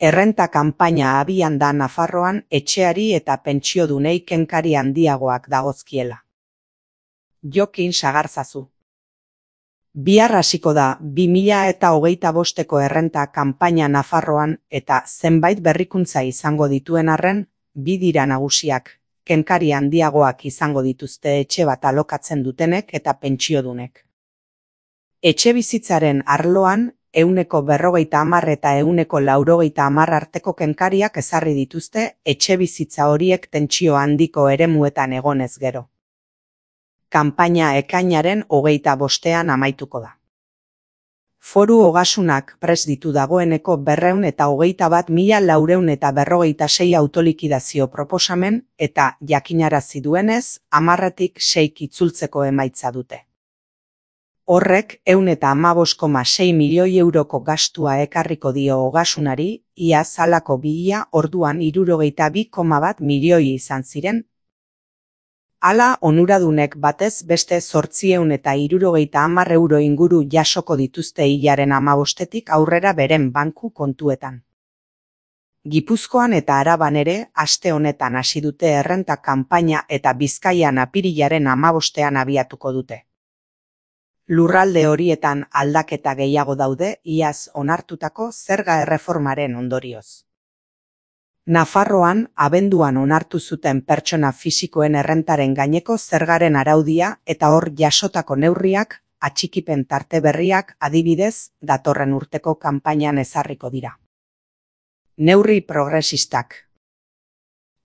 Errenta kanpaina abian da Nafarroan etxeari eta pentsiodunei kenkari handiagoak dagozkiela. Jokin sagarzazu. Bihar hasiko da 2025eko errenta kanpaina Nafarroan eta zenbait berrikuntza izango dituen arren, bi dira nagusiak, kenkari handiagoak izango dituzte etxe bat alokatzen dutenek eta pentsiodunek. Etxebizitzaren arloan, 150 eta 190 arteko kenkariak ezarri dituzte etxebizitza horiek tentsio handiko eremuetan egonez gero. Kanpaina ekainaren 25ean amaituko da. Foru Ogasunak prest ditu dagoeneko 221.456 autolikidazio proposamen eta jakinarazi duenez 10tik 6 itzultzeko emaitza dute. Horrek 115,6 milioi euroko gastua ekarriko dio Ogasunari, iaz halako 2000 orduan 62,1 milioi izan ziren. Hala onuradunek batez beste 870 euro inguru jasoko dituzte hilaren 15etik aurrera beren banku kontuetan. Gipuzkoan eta Araban ere aste honetan hasi dute errenta kanpaina eta Bizkaian apirilaren 15ean abiatuko dute. Lurralde horietan aldaketa gehiago daude iaz onartutako zerga erreformaren ondorioz. Nafarroan abenduan onartu zuten pertsona fisikoen errentaren gaineko zergaren araudia eta hor jasotako neurriak, atxikipen tarte berriak adibidez datorren urteko kanpainan ezarriko dira. Neurri progresistak.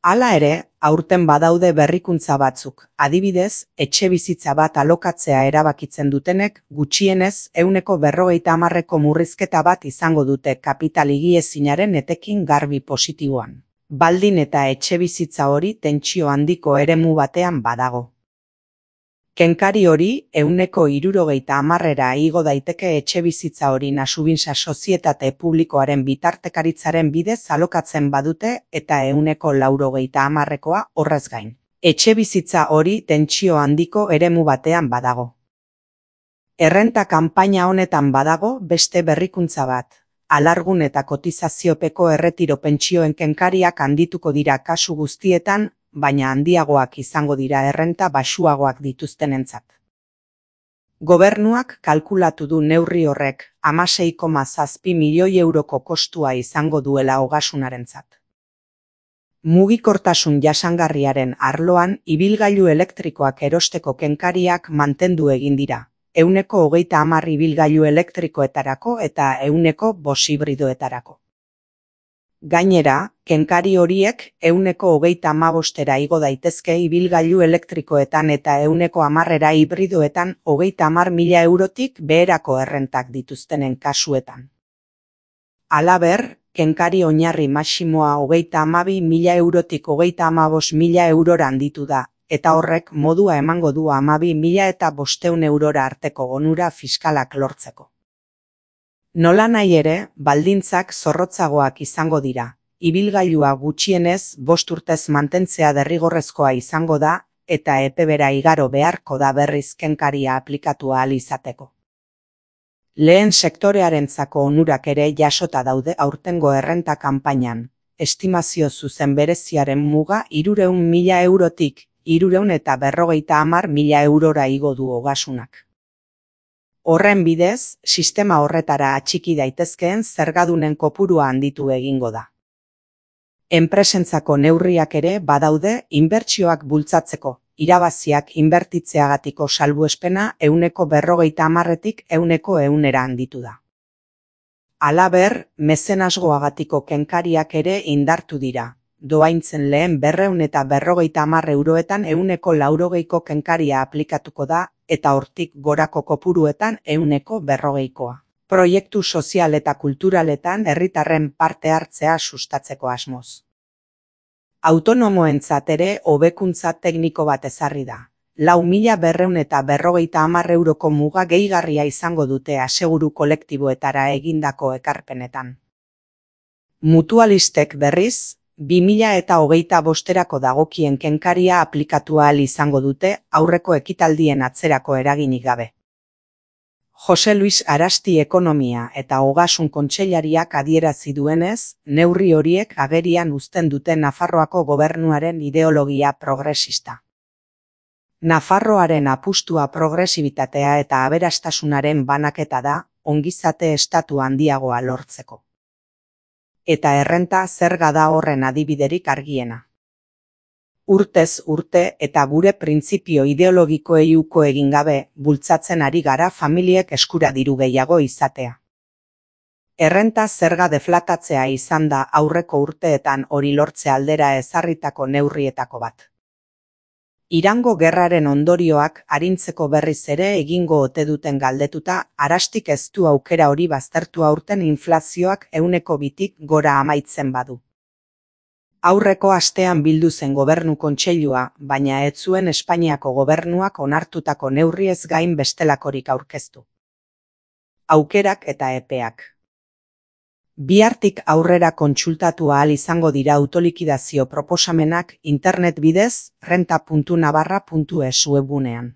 Hala ere, aurten badaude berrikuntza batzuk, adibidez, etxebizitza bat alokatzea erabakitzen dutenek gutxienez 150eko murrizketa bat izango dute kapital higiezinaren etekin garbi positiboan. Baldin eta etxebizitza hori tentsio handiko eremu batean badago. Kenkari hori 160era igo daiteke etxebizitza hori Nasubintza Sozietate Publikoaren bitartekaritzaren bidez alokatzen badute eta 180ekoa horrez gain. Etxebizitza hori tentsio handiko eremu batean badago. Errenta kanpaina honetan badago beste berrikuntza bat. Alargun eta kotizaziopeko erretiro pentsioen kenkariak handituko dira kasu guztietan, baina handiagoak izango dira errenta baxuagoak dituztenentzat. Gobernuak kalkulatu du neurri horrek 16,7 milioi euroko kostua izango duela Ogasunarentzat. Mugikortasun jasangarriaren arloan ibilgailu elektrikoak erosteko kenkariak mantendu egin dira, 130 ibilgailu elektrikoetarako eta 105 hibridoetarako. Gainera, kenkari horiek 135era igo daitezke ibilgailu elektrikoetan eta 110era hibridoetan 30.000 eurotik beherako errentak dituztenen kasuetan. Halaber, kenkari oinarri maximoa 32.000 eurotik 35.000 eurora handitu da, eta horrek modua emango du 12.500 eurora arteko onura fiskalak lortzeko. Nolanahi ere, baldintzak zorrotzagoak izango dira. Ibilgailua gutxienez 5 urtez mantentzea derrigorrezkoa izango da eta epebera igaro beharko da berriz kenkaria aplikatu ahal izateko. Lehen sektorearentzako onurak ere jasota daude aurtengo errenta kanpainan. Estimazio zuzen bereziaren muga 300.000 eurotik 350.000 eurora igo du Ogasunak. Horren bidez, sistema horretara atxiki daitezkeen zergadunen kopurua handitu egingo da. Enpresentzako neurriak ere badaude inbertsioak bultzatzeko, irabaziak inbertitzeagatiko salbuespena 150etik 100era handitu da. Halaber, mezenasgoagatiko kenkariak ere indartu dira. Doaintzen lehen 250 euroetan 180ko kenkaria aplikatuko da eta hortik gorako kopuruetan 140koa. Proiektu sozial eta kulturaletan herritarren parte hartzea sustatzeko asmoz. Autonomoentzat ere hobekuntza tekniko bat ezarri da. 4.250 euroko muga gehigarria izango dute aseguru kolektiboetara egindako ekarpenetan. Mutualistek berriz, 2025erako dagokien kenkaria aplikatu ahal izango dute aurreko ekitaldien atzerako eraginik gabe. Jose Luis Arasti Ekonomia eta Ogasun Kontseilariak adierazi duenez, neurri horiek agerian uzten dute Nafarroako gobernuaren ideologia progresista. Nafarroaren apustua progresibitatea eta aberastasunaren banaketa da, ongizate estatu handiagoa lortzeko. Eta errenta zerga da horren adibiderik argiena. Urtez urte eta gure printzipio ideologikoei uko egin gabe, bultzatzen ari gara familiek eskura diru gehiago izatea. Errenta zerga deflatatzea izan da aurreko urteetan hori lortze aldera ezarritako neurrietako bat. Irango gerraren ondorioak arintzeko berriz ere egingo ote duten galdetuta, Arastik ez du aukera hori baztertu aurten inflazioak 2tik gora amaitzen badu. Aurreko astean bildu zen gobernu kontseilua, baina ez zuen Espainiako gobernuak onartutako neurriez gain bestelakorik aurkeztu. Aukerak eta epeak. Bihartik aurrera kontsultatu ahal izango dira autolikidazio proposamenak internet bidez renta.navarra.es webgunean.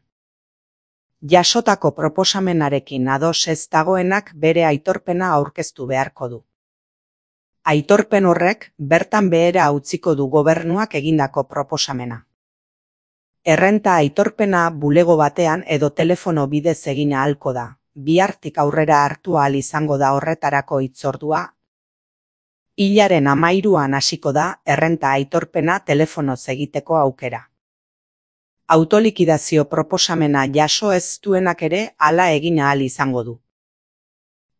Jasotako proposamenarekin ados ez dagoenak bere aitorpena aurkeztu beharko du. Aitorpen horrek bertan behera utziko du gobernuak egindako proposamena. Errenta aitorpena bulego batean edo telefono bidez egin ahalko da. Bihartik aurrera hartu ahal izango da horretarako hitzordua. Hilaren 13an hasiko da errenta aitorpena telefonoz egiteko aukera. Autolikidazio proposamena jaso ez duenak ere hala egin ahal izango du.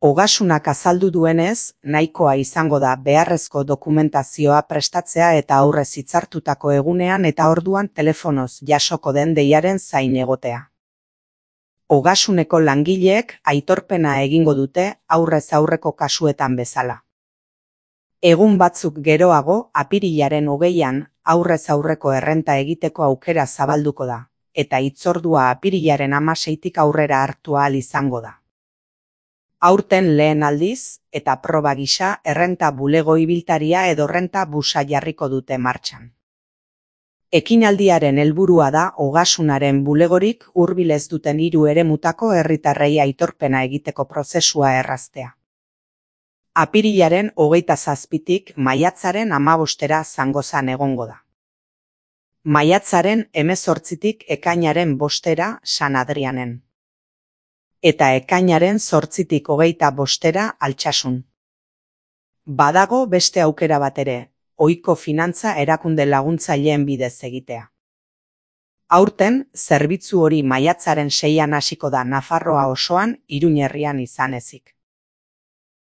Ogasunak azaldu duenez, nahikoa izango da beharrezko dokumentazioa prestatzea eta aurrez hitzartutako egunean eta orduan telefonoz jasoko den deiaren zain egotea. Ogasuneko langileek aitorpena egingo dute aurrez aurreko kasuetan bezala. Egun batzuk geroago, apirilaren 20an, aurrez aurreko errenta egiteko aukera zabalduko da, eta hitzordua apirilaren 16tik aurrera hartu ahal izango da. Aurten lehen aldiz, eta proba gisa, errenta bulego ibiltaria edo renta busa jarriko dute martxan. Ekinaldiaren helburua da ogasunaren bulegorik hurbil ez duten 3 eremutako herritarrei aitorpena egiteko prozesua erraztea. Apirilaren 27tik maiatzaren 15era Zangozan egongo da. Maiatzaren 18tik ekainaren 5era San Adrianen. Eta ekainaren 8tik 25era Altsasun. Badago beste aukera bat ere, ohiko finantza erakunde laguntzaileen bidez egitea. Aurten, zerbitzu hori maiatzaren 6an hasiko da Nafarroa osoan, Iruñerrian izan ezik.